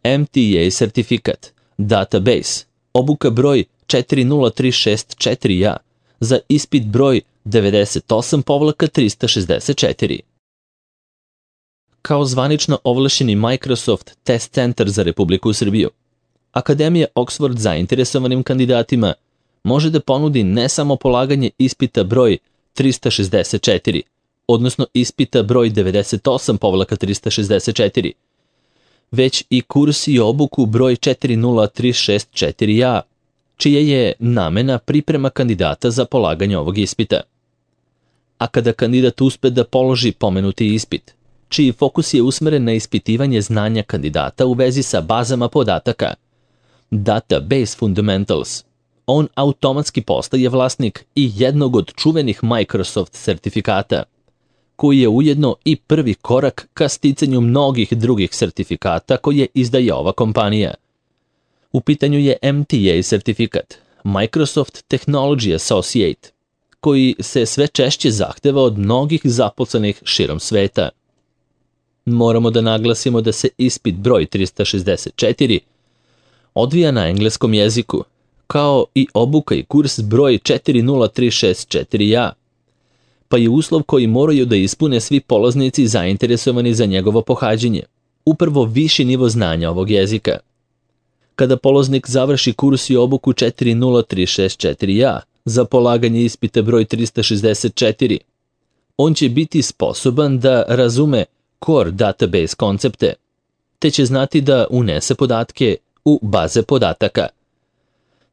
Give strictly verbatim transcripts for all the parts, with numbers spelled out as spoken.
M T A sertifikat, database, obuka broj četiri nula tri šest četiri A za ispit broj devedeset osam trista šezdeset četiri. Kao zvanično ovlašćeni Microsoft Test Centar za Republiku Srbiju, Akademija Oxford zainteresovanim kandidatima može da ponudi ne samo polaganje ispita broj trista šezdeset četiri, odnosno ispita broj devedeset osam trista šezdeset četiri, već i kurs i obuku broj četiri nula tri šest četiri A, čija je namena priprema kandidata za polaganje ovog ispita. A kada kandidat uspe da položi pomenuti ispit, čiji fokus je usmeren na ispitivanje znanja kandidata u vezi sa bazama podataka, Database Fundamentals, on automatski postaje vlasnik i jednog od čuvenih Microsoft sertifikata, koji je ujedno i prvi korak ka sticanju mnogih drugih sertifikata koje izdaje ova kompanija. U pitanju je M T A sertifikat, Microsoft Technology Associate, koji se sve češće zahteva od mnogih zaposlenih širom sveta. Moramo da naglasimo da se ispit broj trista šezdeset četiri odvija na engleskom jeziku, kao i obuka i kurs broj četiri nula tri šest četiri A, pa je uslov koji moraju da ispune svi polaznici zainteresovani za njegovo pohađanje, upravo viši nivo znanja ovog jezika. Kada polaznik završi kurs i obuku četiri nula tri šest četiri A za polaganje ispita broj trista šezdeset četiri, on će biti sposoban da razume core database koncepte, te će znati da unese podatke u baze podataka.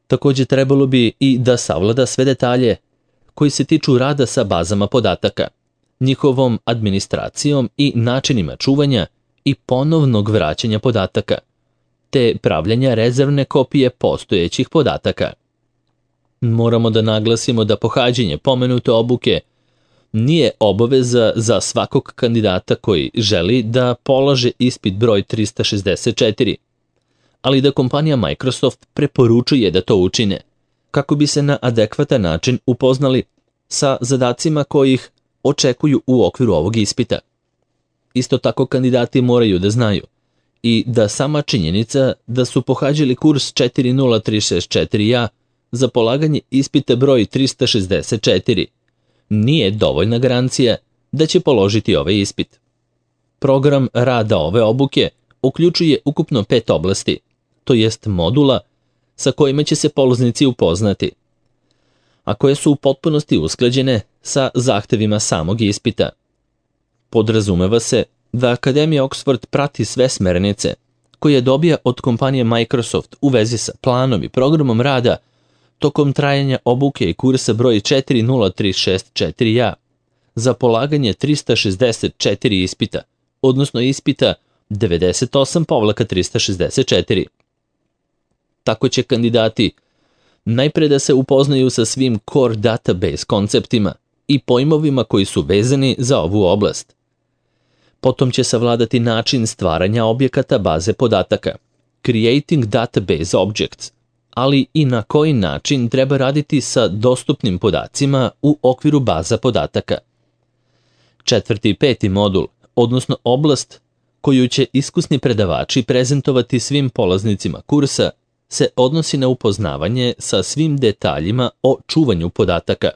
Također trebalo bi i da savlada sve detalje koji se tiču rada sa bazama podataka, njihovom administracijom i načinima čuvanja i ponovnog vraćanja podataka, te pravljanja rezervne kopije postojećih podataka. Moramo da naglasimo da pohađanje pomenute obuke nije obaveza za svakog kandidata koji želi da polaže ispit broj trista šezdeset četiri, ali da kompanija Microsoft preporučuje da to učine, kako bi se na adekvatan način upoznali sa zadacima koji ih očekuju u okviru ovog ispita. Isto tako kandidati moraju da znaju i da sama činjenica da su pohađali kurs četiri nula tri šest četiri A za polaganje ispita broj trista šezdeset četiri nije dovoljna garancija da će položiti ovaj ispit. Program rada ove obuke uključuje ukupno pet oblasti, to jest modula sa kojima će se polaznici upoznati, a koje su u potpunosti usklađene sa zahtevima samog ispita. Podrazumeva se da Akademija Oxford prati sve smernice koje dobija od kompanije Microsoft u vezi sa planom i programom rada tokom trajanja obuke i kursa broj četiri nula tri šest četiri A za polaganje trista šezdeset četiri ispita, odnosno ispita devedeset osam trista šezdeset četiri. Tako će kandidati najpre da se upoznaju sa svim core database konceptima i pojmovima koji su vezani za ovu oblast. Potom će savladati način stvaranja objekata baze podataka, creating database objects, ali i na koji način treba raditi sa dostupnim podacima u okviru baza podataka. Četvrti i peti modul, odnosno oblast koju će iskusni predavači prezentovati svim polaznicima kursa, se odnosi na upoznavanje sa svim detaljima o čuvanju podataka,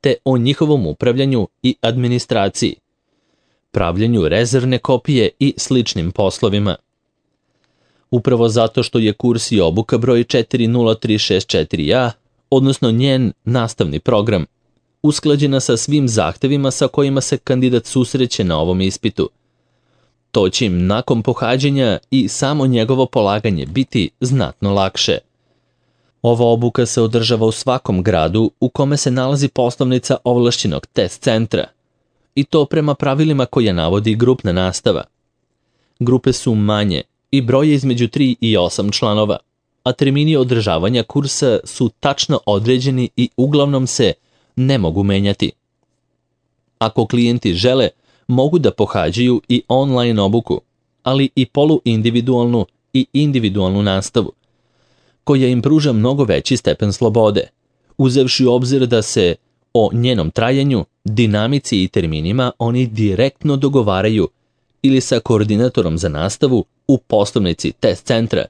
te o njihovom upravljanju i administraciji, pravljenju rezervne kopije i sličnim poslovima. Upravo zato što je kurs i obuka broj četiri nula tri šest četiri A, odnosno njen nastavni program, usklađena sa svim zahtevima sa kojima se kandidat susreće na ovom ispitu. To će im nakon pohađanja i samo njegovo polaganje biti znatno lakše. Ova obuka se održava u svakom gradu u kome se nalazi poslovnica ovlašćenog test centra, i to prema pravilima koje navodi grupna nastava. Grupe su manje i broje između tri i osam članova, a termini održavanja kursa su tačno određeni i uglavnom se ne mogu menjati. Ako klijenti žele, mogu da pohađaju i online obuku, ali i poluindividualnu i individualnu nastavu, koja im pruža mnogo veći stepen slobode, uzevši u obzir da se o njenom trajanju, dinamici i terminima oni direktno dogovaraju ili sa koordinatorom za nastavu u poslovnici test centra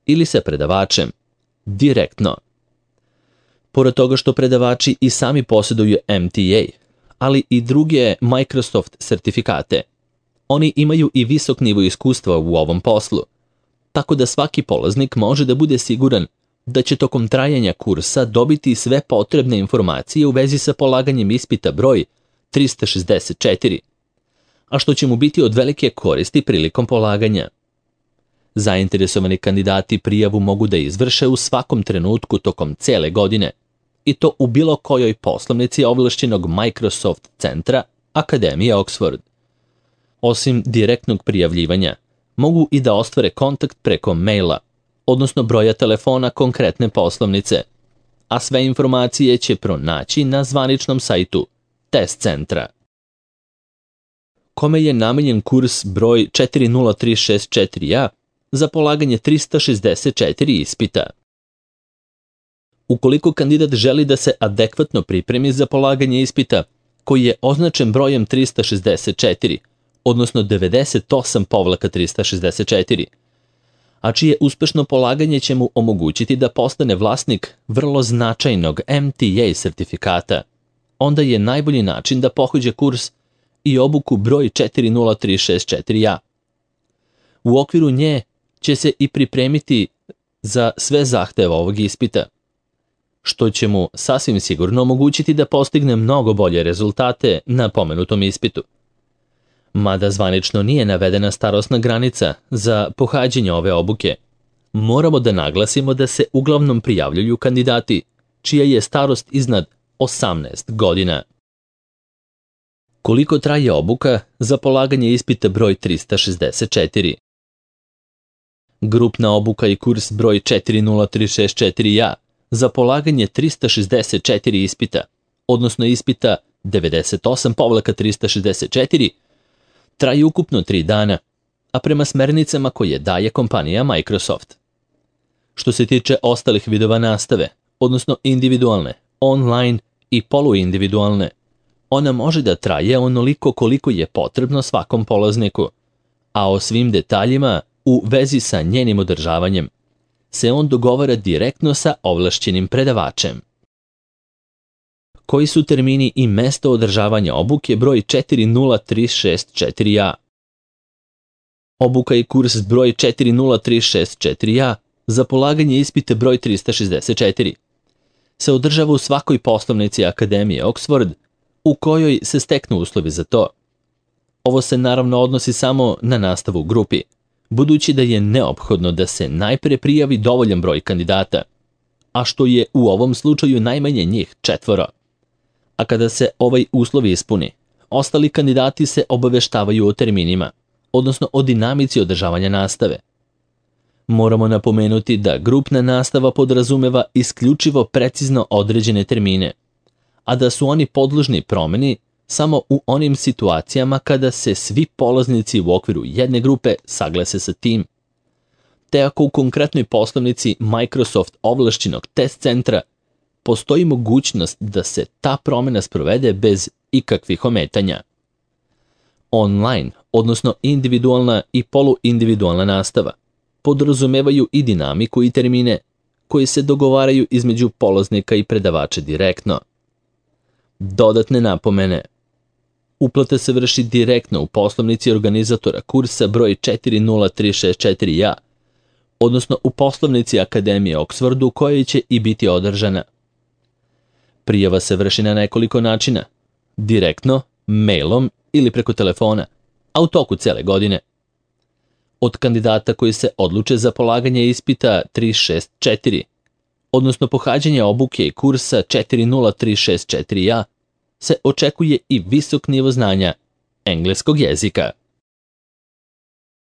ili sa predavačem direktno. Pored toga što predavači i sami posjeduju M T A, ali i druge Microsoft sertifikate, oni imaju i visok nivo iskustva u ovom poslu, tako da svaki polaznik može da bude siguran da će tokom trajanja kursa dobiti sve potrebne informacije u vezi sa polaganjem ispita broj trista šezdeset četiri, a što će mu biti od velike koristi prilikom polaganja. Zainteresovani kandidati prijavu mogu da izvrše u svakom trenutku tokom cele godine, i to u bilo kojoj poslovnici ovlašćenog Microsoft centra Akademije Oxford. Osim direktnog prijavljivanja, mogu i da ostvare kontakt preko maila, odnosno broja telefona konkretne poslovnice, a sve informacije će pronaći na zvaničnom sajtu test centra. Kome je namenjen kurs broj četiri nula tri šest četiri A za polaganje trista šezdeset četiri ispita? Ukoliko kandidat želi da se adekvatno pripremi za polaganje ispita, koji je označen brojem trista šezdeset četiri, odnosno devedeset osam trista šezdeset četiri, a čije uspešno polaganje će mu omogućiti da postane vlasnik vrlo značajnog M T A sertifikata, onda je najbolji način da pohađa kurs i obuku broj četiri nula tri šest četiri A. U okviru nje će se i pripremiti za sve zahteve ovog ispita, što će mu sasvim sigurno omogućiti da postigne mnogo bolje rezultate na pomenutom ispitu. Mada zvanično nije navedena starosna granica za pohađanje ove obuke, moramo da naglasimo da se uglavnom prijavljuju kandidati čija je starost iznad osamnaest godina. Koliko traje obuka za polaganje ispita broj trista šezdeset četiri? Grupna obuka i kurs broj četiri nula tri šest četiri A za polaganje trista šezdeset četiri ispita, odnosno ispita devedeset osam trista šezdeset četiri, traje ukupno tri dana, a prema smernicama koje daje kompanija Microsoft. Što se tiče ostalih vidova nastave, odnosno individualne, online i poluindividualne, ona može da traje onoliko koliko je potrebno svakom polazniku, a o svim detaljima u vezi sa njenim održavanjem se on dogovara direktno sa ovlašćenim predavačem. Koji su termini i mesto održavanja obuke broj četiri nula tri šest četiri A? Obuka i kurs broj četiri nula tri šest četiri A za polaganje ispita broj trista šezdeset četiri se održava u svakoj poslovnici Akademije Oxford u kojoj se steknu uslovi za to. Ovo se naravno odnosi samo na nastavu u grupi, budući da je neophodno da se najpre prijavi dovoljan broj kandidata, a što je u ovom slučaju najmanje njih četvoro. A kada se ovaj uslov ispuni, ostali kandidati se obaveštavaju o terminima, odnosno o dinamici održavanja nastave. Moramo napomenuti da grupna nastava podrazumeva isključivo precizno određene termine, a da su oni podložni promeni samo u onim situacijama kada se svi polaznici u okviru jedne grupe saglase sa tim, te ako u konkretnoj poslovnici Microsoft ovlašćenog test centra postoji mogućnost da se ta promjena sprovede bez ikakvih ometanja. Online, odnosno individualna i poluindividualna nastava, podrazumevaju i dinamiku i termine koji se dogovaraju između polaznika i predavača direktno. Dodatne napomene. Uplata se vrši direktno u poslovnici organizatora kursa broj četiri nula tri šest četiri A, odnosno u poslovnici Akademije Oxford u kojoj će i biti održana. Prijava se vrši na nekoliko načina, direktno, mailom ili preko telefona, a u toku cele godine. Od kandidata koji se odluče za polaganje ispita tri šest četiri, odnosno pohađanje obuke i kursa četiri nula tri šest četiri A, se očekuje i visok nivo znanja engleskog jezika.